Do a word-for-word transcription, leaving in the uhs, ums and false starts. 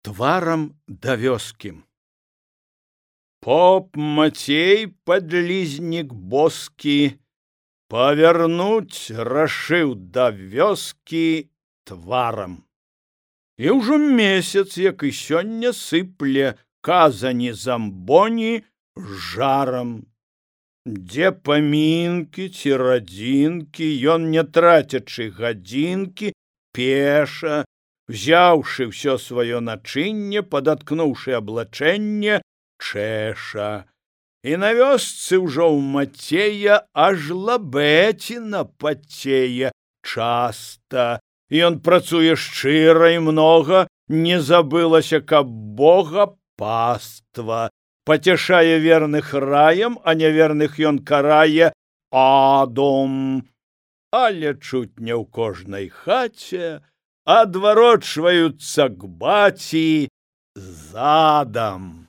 тварам да вёскі. Поп Мацей, подлизник боскі, павярнуць рашыў да вёскі тварам. І ўжо месяц, як і сёння, сыпле казані-замбоні жарам. Дзе памінкі ці радзінкі, ён, не трацячы гадзінкі, пеша, взяўшы ўсё сваё начынне, падаткнуўшы аблачэнне, чэша. І на вёсцы ўжо ў Мацея аж лабэціна пацее часта. Ён працуе шчыра і многа, не забылася, каб Бога паства. Пацяшае верных раем, а няверных ён карае адом. Але чуць не ў кожнай хаце адварочваюцца к баці задам.